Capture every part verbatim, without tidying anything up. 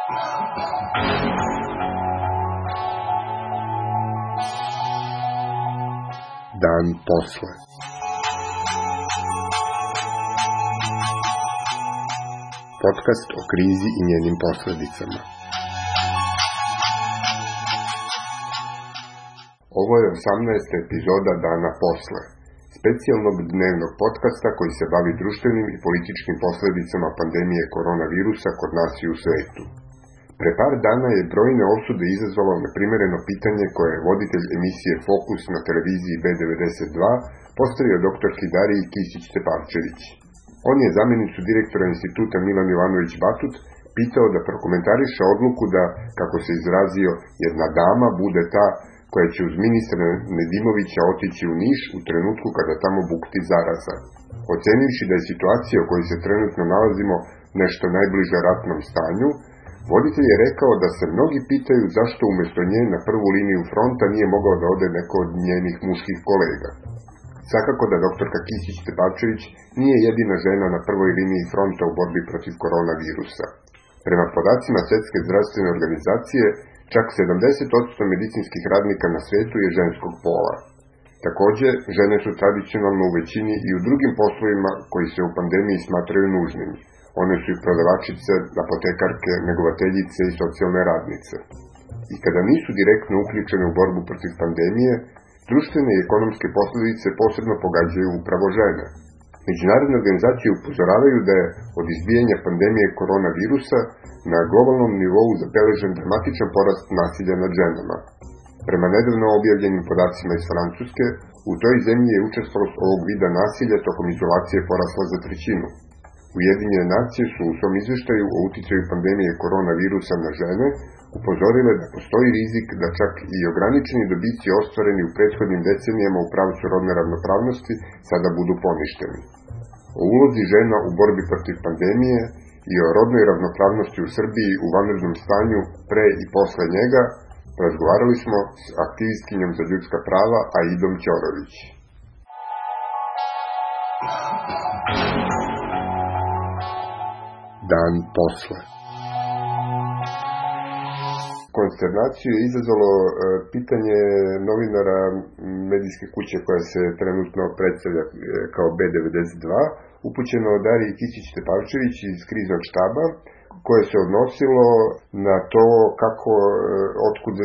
Dan posle. Podcast o krizi i njenim posledicama. Ovo je osamnaesta epizoda Dana posle, specijalnog dnevnog podcasta koji se bavi društvenim i političkim posledicama pandemije koronavirusa kod nas i u svetu. Pre par dana je brojne osude izazvalo neprimereno pitanje koje je voditelj emisije Fokus na televiziji be devedeset dva postavio doktorki Dariji Kisić-Tepavčević. On je zamjenicu direktora instituta Milan Jovanović Batut pitao da prokomentariše odluku da, kako se izrazio, jedna dama bude ta koja će uz ministra Nedimovića otići u Niš u trenutku kada tamo bukti zaraza. Ocenivši da je situacija u kojoj se trenutno nalazimo nešto najbliže ratnom stanju, voditelj je rekao da se mnogi pitaju zašto umjesto nje na prvu liniju fronta nije mogao da ode neko od njenih muških kolega. Svakako da doktorka Kisić-Tepavčević nije jedina žena na prvoj liniji fronta u borbi protiv koronavirusa. Prema podacima Svjetske zdravstvene organizacije, čak sedamdeset posto medicinskih radnika na svijetu je ženskog pola. Također, žene su tradicionalno u većini i u drugim poslovima koji se u pandemiji smatraju nužnim. One su i prodavačice, apotekarke, negovateljice i socijalne radnice. I kada nisu direktno uključene u borbu protiv pandemije, društvene i ekonomske posljedice posebno pogađaju upravo žene. Međunarodne organizacije upozoravaju da je od izbijanja pandemije koronavirusa na globalnom nivou zabeležen dramatičan porast nasilja nad ženama. Prema nedavno objavljenim podacima iz Francuske, u toj zemlji je učestalost ovog vida nasilja tokom izolacije porasla za trećinu. Ujedinjene nacije su u svom izveštaju o uticaju pandemije koronavirusa na žene upozorile da postoji rizik da čak i ograničeni dobici ostvareni u prethodnim decenijama u pravcu rodne ravnopravnosti sada budu poništeni. O ulozi žena u borbi protiv pandemije i o rodnoj ravnopravnosti u Srbiji u vanrednom stanju pre i posle njega razgovarali smo s aktivistkinjom za ljudska prava Aidom Ćorović. Dan posle. Konsternaciju je izazvalo e, pitanje novinara medijske kuće koja se trenutno predstavlja e, kao be devedeset dva, upućeno od Dariji Kisić-Tepavčević iz kriznog štaba, koje se odnosilo na to kako, e, otkud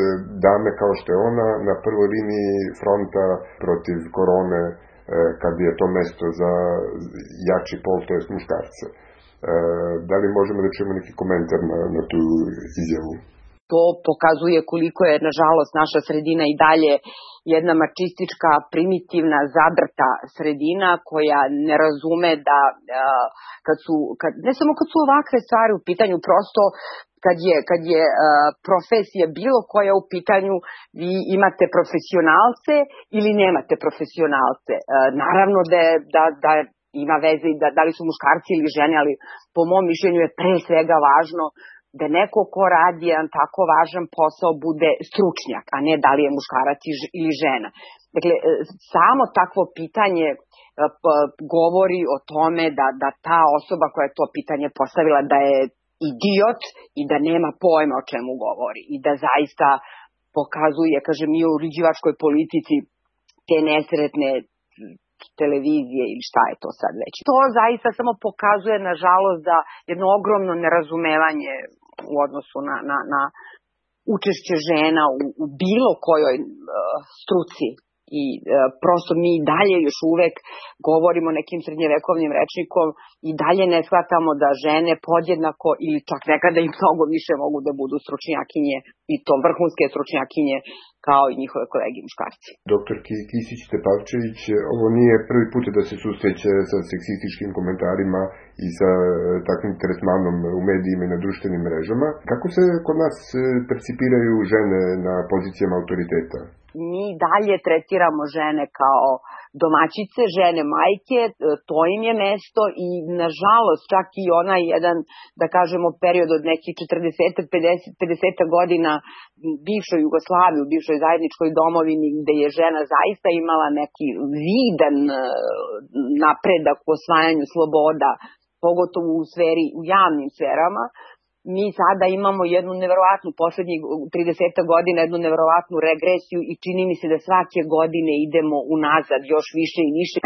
dame kao što je ona na prvoj liniji fronta protiv korone, e, kad je to mesto za jači pol, to jest muškarce. E, da li možemo da čujemo neki komentar na, na tu izjavu? To pokazuje koliko je, nažalost, naša sredina i dalje jedna mačistička, primitivna, zadrta sredina koja ne razume da kad su, kad, ne samo kad su ovakve stvari u pitanju, prosto kad je, kad je profesija bilo koja u pitanju, vi imate profesionalce ili nemate profesionalce. Naravno da, da, da ima veze da, da li su muškarci ili žene, ali po mom mišljenju je pre svega važno da neko ko radi jedan tako važan posao bude stručnjak, a ne da li je muškarac ili žena. Dakle, samo takvo pitanje govori o tome da, da ta osoba koja je to pitanje postavila da je idiot i da nema pojma o čemu govori. I da zaista pokazuje, kažem, i u uređivačkoj politici te nesretne televizije ili šta je to sad već. To zaista samo pokazuje, nažalost, da jedno ogromno nerazumevanje u odnosu na, na, na učešće žena u, u bilo kojoj uh, struci. I uh, prosto mi dalje još uvek govorimo nekim srednjevekovnim rečnikom i dalje ne shvatamo da žene podjednako ili čak nekada i mnogo više mogu da budu stručnjakinje i to vrhunske stručnjakinje kao i njihove kolege muškarci. Doktor Kisić-Tepavčević, ovo nije prvi put da se susreće sa seksističkim komentarima i sa takvim tretmanom u medijima i na društvenim mrežama. Kako se kod nas percipiraju žene na pozicijama autoriteta? Mi dalje tretiramo žene kao domaćice, žene majke, to im je mesto i nažalost čak i onaj jedan, da kažemo, period od nekih četrdeset do pedeset godina bivšoj Jugoslaviji, u bivšoj zajedničkoj domovini gde je žena zaista imala neki vidan napredak u osvajanju sloboda, pogotovo u sferi, u javnim sferama, mi sada imamo jednu neverovatnu, poslednjih trideset godina, jednu neverovatnu regresiju i čini mi se da svake godine idemo unazad još više i više.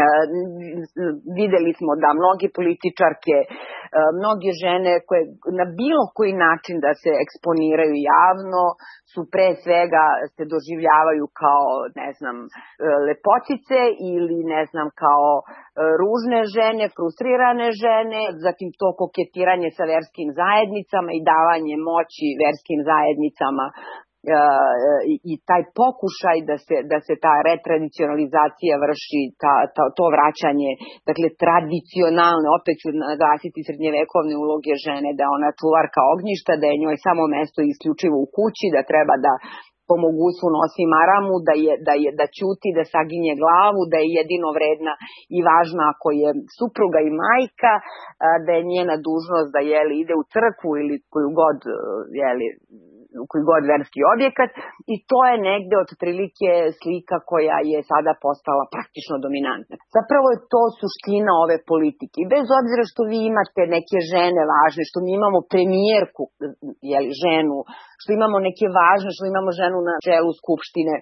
Videli smo da mnogi političarke, mnoge žene koje na bilo koji način da se eksponiraju javno su pre svega se doživljavaju kao, ne znam, lepotice ili ne znam, kao ružne žene, frustrirane žene, zatim to koketiranje sa verskim zajednicama i davanje moći verskim zajednicama i taj pokušaj da se, da se ta retradicionalizacija vrši, ta, ta, to vraćanje, dakle tradicionalne, opet ću naglasiti srednjevekovne uloge žene, da je ona čuvarka ognjišta, da je njoj samo mesto isključivo u kući, da treba da po mogućstvu nosi maramu, da, je, da, je, da ćuti, da saginje glavu, da je jedino vredna i važna ako je supruga i majka, da je njena dužnost da jeli, ide u crkvu ili koju god, jeli, koji god verski objekat i to je negde otprilike slika koja je sada postala praktično dominantna. Zapravo je to suština ove politike. Bez obzira što vi imate neke žene važne, što mi imamo premijerku, jeli, ženu, što imamo neke važne, što imamo ženu na čelu Skupštine,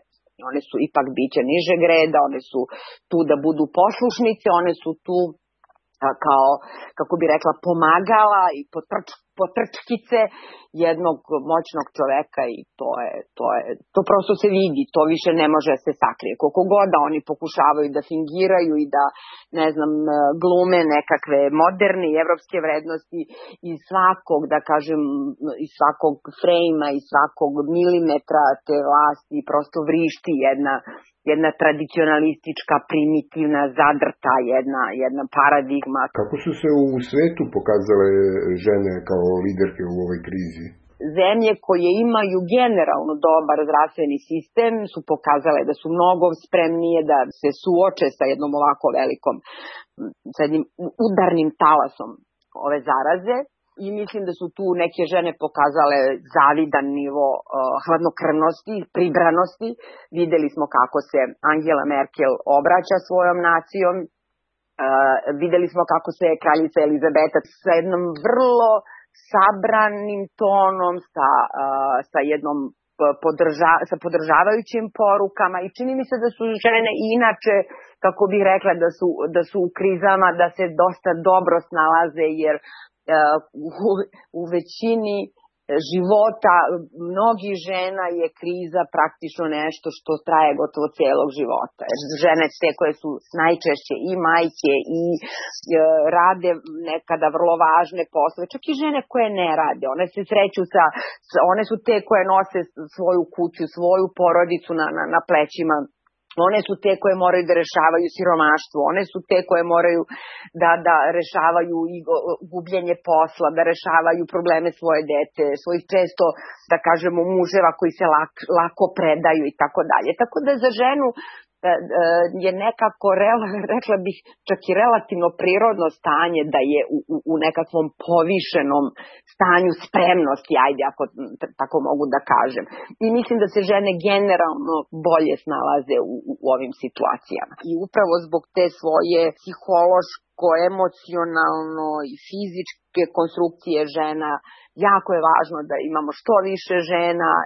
one su ipak biće nižeg reda, one su tu da budu poslušnice, one su tu kao, kako bi rekla, pomagala i potrč, potrčkice jednog moćnog čoveka i to je, to je, to prosto se vidi, to više ne može se sakrije. Koliko god da oni pokušavaju da fingiraju i da, ne znam, glume nekakve moderne i evropske vrednosti iz svakog, da kažem, iz svakog frejma, iz svakog milimetra te vlasti prosto vrišti jedna jedna tradicionalistička, primitivna, zadrta, jedna, jedna paradigma. Kako su se u svetu pokazale žene kao liderke u ovoj krizi? Zemlje koje imaju generalno dobar zdravstveni sistem su pokazale da su mnogo spremnije da se suoče sa jednom ovako velikom, sa jednim udarnim talasom ove zaraze. I mislim da su tu neke žene pokazale zavidan nivo uh, hladnokrvnosti, pribranosti. Videli smo kako se Angela Merkel obraća svojom nacijom. Uh, videli smo kako se kraljica Elizabeta sa jednom vrlo sabranim tonom, sa, uh, sa jednom podrža, sa podržavajućim porukama i čini mi se da su žene inače, kako bih rekla, da su, da su u krizama, da se dosta dobro snalaze jer U, u većini života mnogi žena je kriza praktično nešto što traje gotovo celog života. Žene te koje su najčešće i majke i e, rade nekada vrlo važne poslove, čak i žene koje ne rade. One se sreću sa, one su te koje nose svoju kuću, svoju porodicu na, na, na plećima. One su te koje moraju da rešavaju siromaštvo, one su te koje moraju da, da rešavaju i gubljenje posla, da rešavaju probleme svoje dece, svojih često, da kažemo, muževa koji se lak, lako predaju i tako dalje. Tako da za ženu je nekako, rekla bih, čak i relativno prirodno stanje da je u, u, u nekakvom povišenom stanju spremnosti, ajde ako tako mogu da kažem. I mislim da se žene generalno bolje snalaze u, u, u ovim situacijama. I upravo zbog te svoje psihološko, emocionalno i fizičke konstrukcije žena, jako je važno da imamo što više žena e,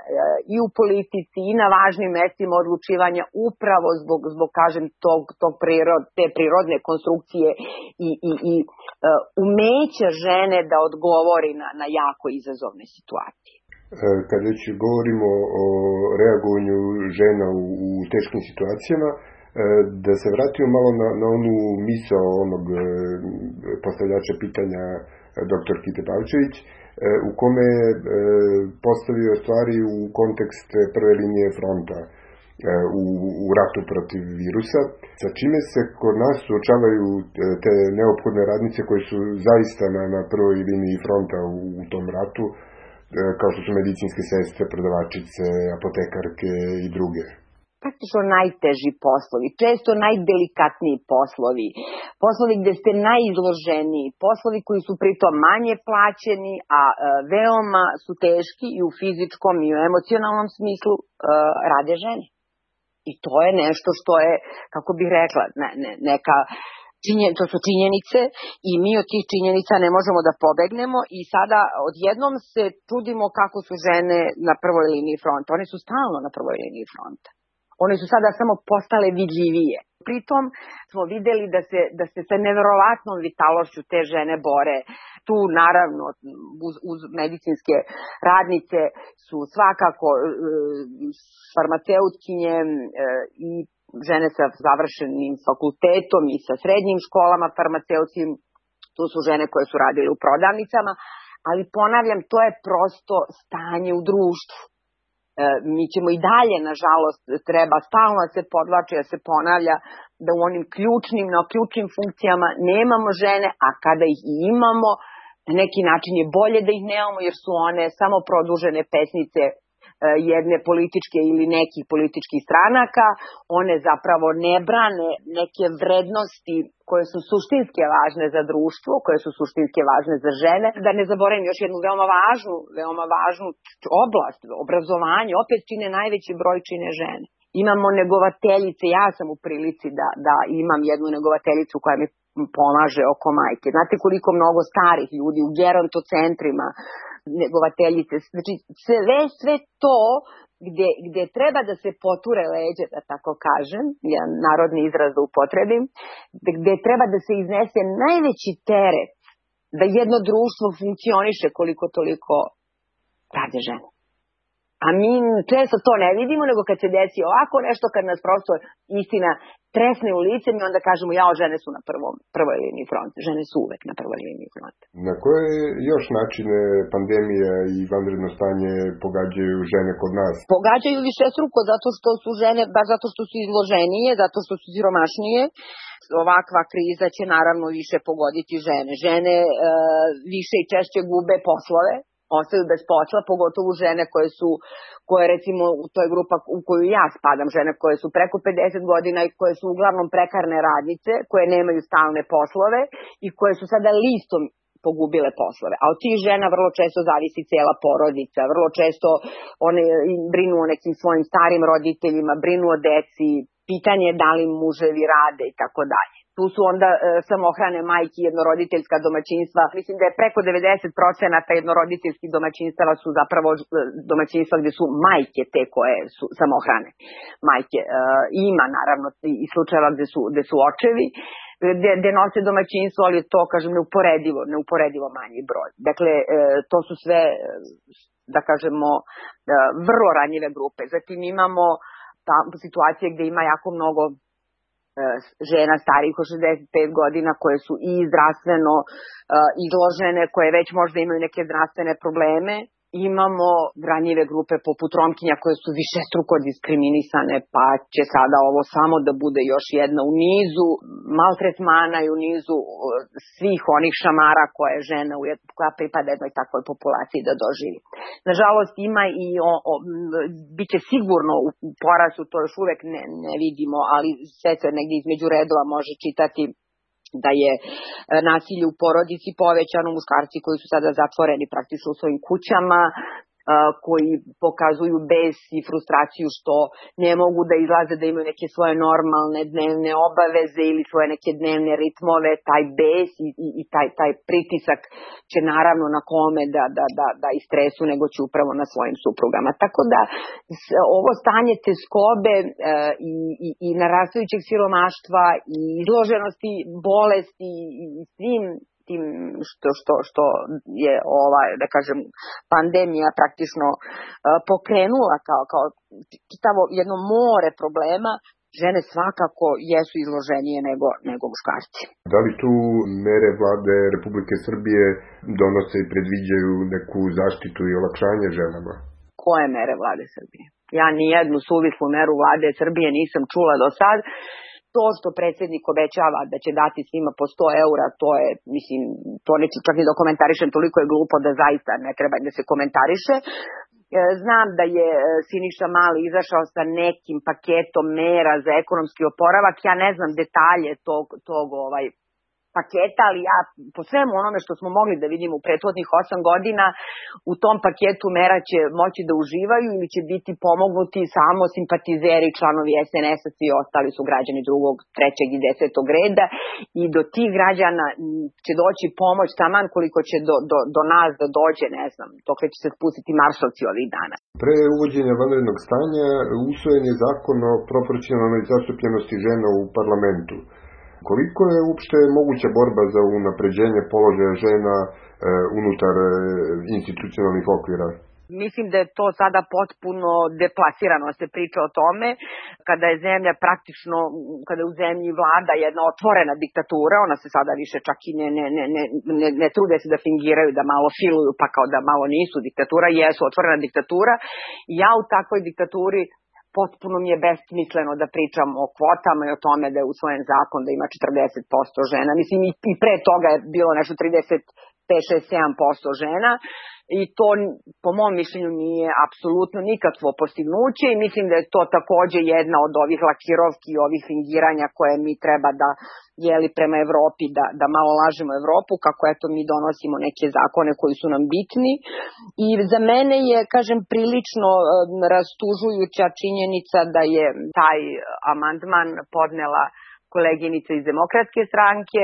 i u politici i na važnim mestima odlučivanja upravo zbog, zbog kažem, tog, tog prirod, te prirodne konstrukcije i, i, i e, umeća žene da odgovori na, na jako izazovne situacije. Kad već govorimo o reagovanju žena u, u teškim situacijama, da se vratimo malo na, na onu misao onog postavljača pitanja doktorki Tepavčević, u kome je postavio stvari u kontekst prve linije fronta u, u ratu protiv virusa, sa čime se kod nas suočavaju te neophodne radnice koje su zaista na, na prvoj liniji fronta u, u tom ratu, kao što su medicinske sestre, prodavačice, apotekarke i druge. Praktično najteži poslovi, često najdelikatniji poslovi, poslovi gde ste najizloženiji, poslovi koji su pritom manje plaćeni, a e, veoma su teški i u fizičkom i u emocionalnom smislu e, rade žene. I to je nešto što je, kako bih rekla, ne, ne, neka Činjen, to su činjenice i mi od tih činjenica ne možemo da pobegnemo i sada odjednom se čudimo kako su žene na prvoj liniji fronta. One su stalno na prvoj liniji fronta. One su sada samo postale vidljivije. Pritom smo videli da se, da se sa neverovatnom vitalošću te žene bore. Tu naravno uz, uz medicinske radnice su svakako e, farmaceutkinje e, i žene sa završenim fakultetom i sa srednjim školama farmaceutskim. Tu su žene koje su radile u prodavnicama, ali ponavljam, to je prosto stanje u društvu. Mi ćemo i dalje, nažalost, treba stalno da se podvlači, da se ponavlja da u onim ključnim, na ključnim funkcijama nemamo žene, a kada ih i imamo, na neki način je bolje da ih nemamo jer su one samo produžene pesnice jedne političke ili nekih političkih stranaka. One zapravo ne brane neke vrednosti koje su suštinske važne za društvo, koje su suštinske važne za žene. Da ne zaboravim još jednu veoma važnu, veoma važnu oblast, obrazovanje, opet čine najveći broj čine žene. Imamo negovateljice, ja sam u prilici da, da imam jednu negovateljicu koja mi pomaže oko majke. Znate koliko mnogo starih ljudi u gerontocentrima, negovateljice, znači sve, sve to gde, gde treba da se poture leđe, da tako kažem, jedan narodni izraz da upotrebim, gde treba da se iznese najveći teret da jedno društvo funkcioniše koliko toliko rade žene. A mi često to ne vidimo, nego kad se desi ovako nešto, kad nas prosto istina tresne u lice, mi onda kažemo, jao, žene su na prvom, prvoj liniji fronta. Žene su uvek na prvoj liniji fronta. Na koje još načine pandemija i vanredno stanje pogađaju žene kod nas? Pogađaju višestruko zato što su žene, baš zato što su izloženije, zato što su siromašnije. Ovakva kriza će naravno više pogoditi žene. Žene e, više i češće gube poslove, ostaju bez posla, pogotovo žene koje su, koje recimo, to je grupa u koju ja spadam, žene koje su preko pedeset godina i koje su uglavnom prekarne radnice, koje nemaju stalne poslove i koje su sada listom pogubile poslove. A od tih žena vrlo često zavisi cijela porodica, vrlo često one brinu o nekim svojim starim roditeljima, brinu o deci, pitanje je da li muževi rade i tako dalje. Tu su onda e, samohrane majke, jednoroditeljska domaćinstva. Mislim da je preko devedeset posto jednoroditeljskih domaćinstava su zapravo domaćinstva gde su majke te koje su samohrane majke. E, ima naravno i slučajeva gde su, gde su očevi, gde, gde nose domaćinstvo, ali je to, kažem, neuporedivo, neuporedivo manji broj. Dakle, e, to su sve, da kažemo, e, vrlo ranjive grupe. Zatim imamo ta situacije gde ima jako mnogo žena starijih od šezdeset pet godina koje su i zdravstveno uh, izložene, koje već možda imaju neke zdravstvene probleme. Imamo ranjive grupe poput Romkinja koje su višestruko diskriminisane, pa će sada ovo samo da bude još jedna u nizu maltretmana i u nizu svih onih šamara koje žena, koja pripada jednoj takvoj populaciji da doživi. Nažalost ima i o, o, bit će sigurno u porastu, to još uvek ne, ne vidimo, ali sve se negdje između redova može čitati da je nasilje u porodici povećano, muškarci koji su sada zatvoreni praktično u svojim kućama, koji pokazuju bes i frustraciju što ne mogu da izlaze, da imaju neke svoje normalne dnevne obaveze ili svoje neke dnevne ritmove, taj bes i, i, i taj, taj pritisak će naravno na kome da, da, da, da istresu, nego će upravo na svojim suprugama. Tako da ovo stanje teskobe e, i, i, i narastajućeg siromaštva i izloženosti bolesti i svim tim što, što, što je ova, da kažem, pandemija praktično uh, pokrenula kao, kao čitavo jedno more problema, žene svakako jesu izloženije nego, nego muškarci. Da li tu mere vlade Republike Srbije donose i predviđaju neku zaštitu i olakšanje ženama? Koje mere vlade Srbije? Ja ni jednu suvislu meru vlade Srbije nisam čula do sad. To što predsjednik obećava da će dati svima po sto eura, to je, mislim, to neću čak ni da komentarišem, toliko je glupo da zaista ne treba da se komentariše. Znam da je Siniša Mali izašao sa nekim paketom mera za ekonomski oporavak. Ja ne znam detalje tog, tog ovaj, paketa, ali ja po svemu onome što smo mogli da vidimo u prethodnih osam godina, u tom paketu mera će moći da uživaju ili će biti pomognuti samo simpatizeri, članovi es en es-a, svi ostali su građani drugog, trećeg i desetog reda i do tih građana će doći pomoć taman koliko će do, do, do nas da dođe, ne znam, dokle će se spustiti marsovci ovih dana. Pre uvođenja vanrednog stanja usvojen je zakon o proporcionalnoj zastupljenosti žena u parlamentu. Koliko je uopšte moguća borba za unapređenje položaja žena e, unutar e, institucionalnih okvira? Mislim da je to sada potpuno deplasirano se priča o tome, kada je zemlja praktično, kada je u zemlji vlada jedna otvorena diktatura, ona se sada više čak i ne, ne, ne, ne, ne trude se da fingiraju, da malo filuju, pa kao da malo nisu diktatura, jesu otvorena diktatura. Ja u takvoj diktaturi potpuno mi je besmisleno da pričam o kvotama i o tome da je usvojen zakon da ima četrdeset posto žena. Mislim i pre toga je bilo nešto trideset pet, šest, sedam posto žena i to po mom mišljenju nije apsolutno nikakvo postignuće i mislim da je to takođe jedna od ovih lakirovki i ovih fingiranja koje mi treba da jeli prema Evropi, da, da malo lažemo Evropu, kako eto mi donosimo neke zakone koji su nam bitni. I za mene je, kažem, prilično um, rastužujuća činjenica da je taj amandman podnela koleginica iz Demokratske stranke,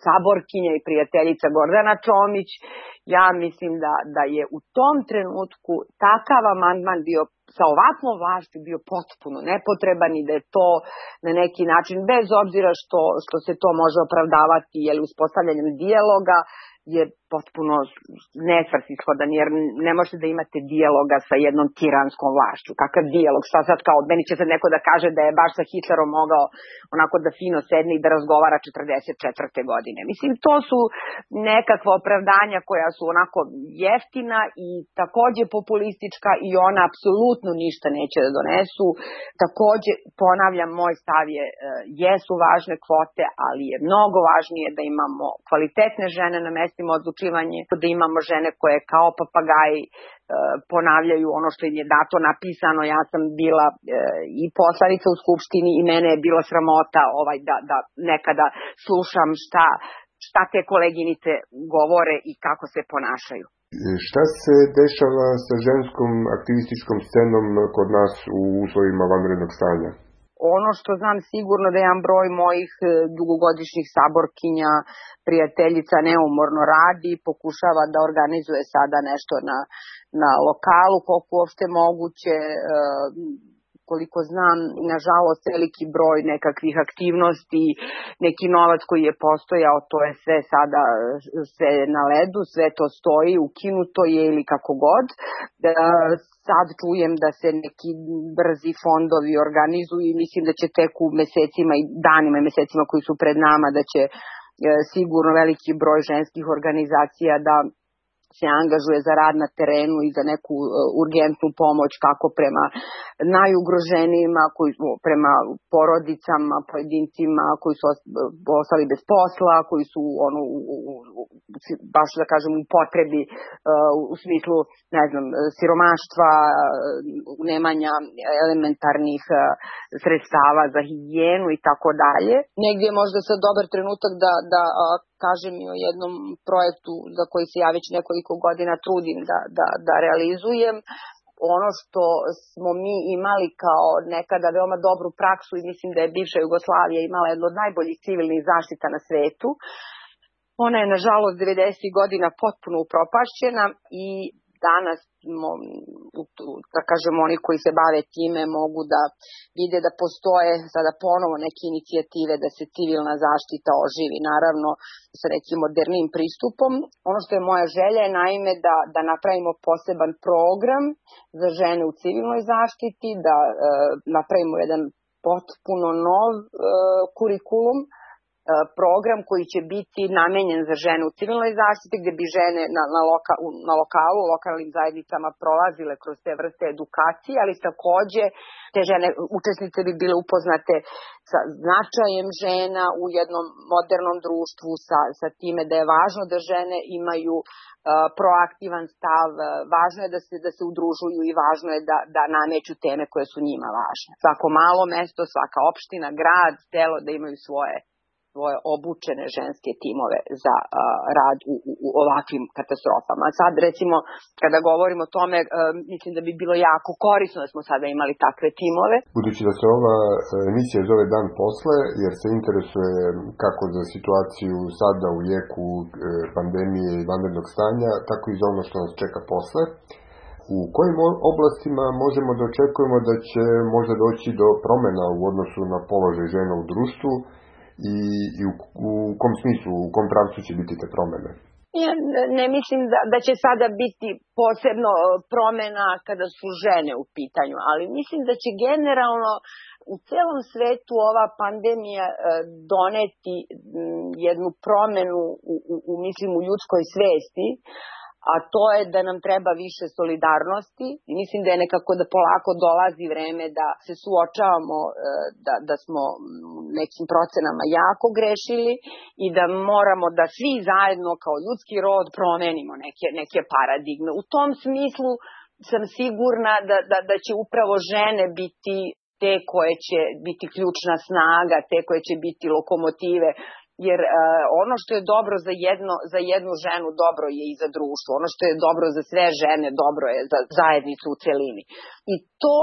saborkinja i prijateljica Gordana Čomić. Ja mislim da, da je u tom trenutku takav amandman bio sa ovakvom vlašću bio potpuno nepotreban i da je to na neki način, bez obzira što, što se to može opravdavati jel, uspostavljanjem dijaloga, je potpuno nesvrsishodan, jer ne možete da imate dijaloga sa jednom tiranskom vlašću. Kakav dijalog? Šta sad kao, meni će sad neko da kaže da je baš sa Hitlerom mogao onako da fino sedne i da razgovara četrdeset četvrte godine. Mislim, to su nekakva opravdanja koja su onako jeftina i takođe populistička i ona apsolutno ništa neće da donesu. Takođe, ponavljam, moj stav je, jesu važne kvote, ali je mnogo važnije da imamo kvalitetne žene na mestima odlučivanja, da imamo žene koje kao papagaji e, ponavljaju ono što im je dato napisano. Ja sam bila e, i poslanica u Skupštini i mene je bila sramota ovaj, da, da nekada slušam šta, šta te koleginice govore i kako se ponašaju. Šta se dešava sa ženskom aktivističkom scenom kod nas u uslovima vanrednog stanja? Ono što znam sigurno da jedan broj mojih dugogodišnjih saborkinja, prijateljica neumorno radi, pokušava da organizuje sada nešto na, na lokalu, koliko uopšte moguće. Koliko znam, nažalost, veliki broj nekakvih aktivnosti, neki novac koji je postojao, to je sve sada sve na ledu, sve to stoji, ukinuto je ili kako god. Sad čujem da se neki brzi fondovi organizuju i mislim da će tek u mesecima i danima i mesecima koji su pred nama, da će sigurno veliki broj ženskih organizacija da se angažuje za rad na terenu i za neku uh, urgentnu pomoć kako prema najugroženijima, koji, prema porodicama, pojedincima koji su ostali bez posla, koji su ono, u, u, u, baš da kažem u potrebi uh, u smislu, ne znam, siromaštva, nemanja elementarnih uh, sredstava za higijenu i tako dalje. Negdje je možda sad dobar trenutak da, da uh, kažem i o jednom projektu za koji se ja već nekoliko godina trudim da, da, da realizujem. Ono što smo mi imali kao nekada veoma dobru praksu i mislim da je bivša Jugoslavija imala jedno od najboljih civilnih zaštita na svetu. Ona je nažalost devedesetih godina potpuno upropašćena i danas, da kažemo, oni koji se bave time mogu da vide da postoje sada ponovo neke inicijative da se civilna zaštita oživi, naravno sa nekim modernim pristupom. Ono što je moja želja je naime da, da napravimo poseban program za žene u civilnoj zaštiti, da e, napravimo jedan potpuno nov e, kurikulum, program koji će biti namenjen za žene u civilnoj zaštiti, gde bi žene na, na, loka, na lokalu, u lokalnim zajednicama prolazile kroz te vrste edukacije, ali takođe te žene, učesnice bi bile upoznate sa značajem žena u jednom modernom društvu, sa, sa time da je važno da žene imaju uh, proaktivan stav, važno je da se, da se udružuju i važno je da, da nameću teme koje su njima važne. Svako malo mesto, svaka opština, grad, selo da imaju svoje svoje obučene ženske timove za uh, rad u, u, u ovakvim katastrofama. Sad recimo kada govorimo o tome, uh, mislim da bi bilo jako korisno da smo sada imali takve timove. Budući da se ova emisija zove Dan posle, jer se interesuje kako za situaciju sada u jeku pandemije i vanrednog stanja, tako i za ono što nas čeka posle. U kojim oblastima možemo da očekujemo da će možda doći do promjena u odnosu na položaj žena u društvu i, i u, u kom smislu, u kom pravcu će biti te promjene? Ja ne mislim da, da će sada biti posebno promjena kada su žene u pitanju, ali mislim da će generalno u celom svetu ova pandemija doneti jednu promjenu u, u, u, mislim, u ljudskoj svesti, a to je da nam treba više solidarnosti i mislim da je nekako da polako dolazi vreme da se suočavamo da, da smo nekim procenama jako grešili i da moramo da svi zajedno kao ljudski rod promenimo neke, neke paradigme. U tom smislu sam sigurna da, da, da će upravo žene biti te koje će biti ključna snaga, te koje će biti lokomotive. Jer uh, ono što je dobro za, jedno, za jednu ženu, dobro je i za društvo. Ono što je dobro za sve žene, dobro je za zajednicu u celini. I to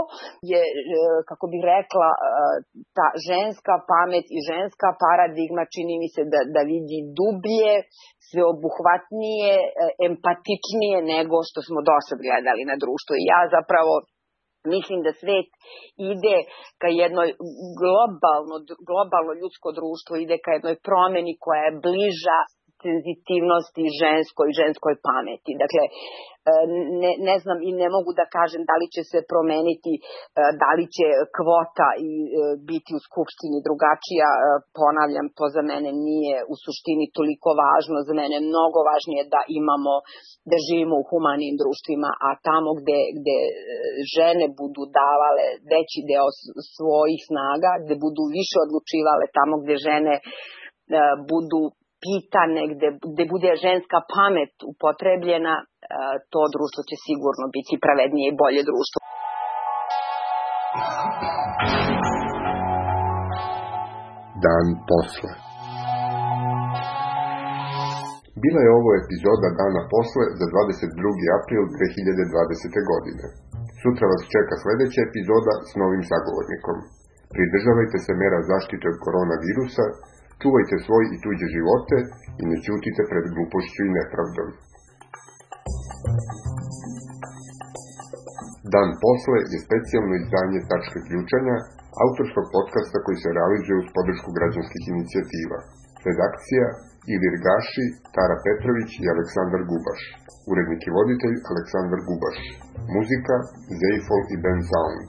je, uh, kako bih rekla, uh, ta ženska pamet i ženska paradigma čini mi se da, da vidi dublje, sveobuhvatnije, uh, empatičnije nego što smo do sad gledali na društvo. I ja zapravo mislim da svet ide ka jednoj globalno, globalno ljudsko društvo, ide ka jednoj promeni koja je bliža senzitivnosti ženskoj i ženskoj pameti. Dakle, ne, ne znam i ne mogu da kažem da li će se promeniti, da li će kvota i biti u Skupštini drugačija. Ponavljam, to za mene nije u suštini toliko važno. Za mene je mnogo važnije da imamo, da živimo u humanim društvima, a tamo gde, gde žene budu davale veći deo svojih snaga, gde budu više odlučivale, tamo gde žene budu pitane, gde, gde bude ženska pamet upotrebljena, to društvo će sigurno biti pravednije i bolje društvo. Dan posle. Bila je ovo epizoda Dana posle za dvadeset drugi april dve hiljade dvadesete. godine. Sutra vas čeka sljedeća epizoda s novim sagovornikom. Pridržavajte se mera zaštite od koronavirusa, čuvajte svoj i tuđe živote i ne ćutite pred glupošću i nepravdom. Dan posle je specijalno izdanje Tačke ključanja, autorskog podcasta koji se realizuje uz podršku građanskih inicijativa. Redakcija Ilir Gaši, Tara Petrović i Aleksandar Gubaš. Urednik i voditelj Aleksandar Gubaš. Muzika Zeifol i Ben Sound.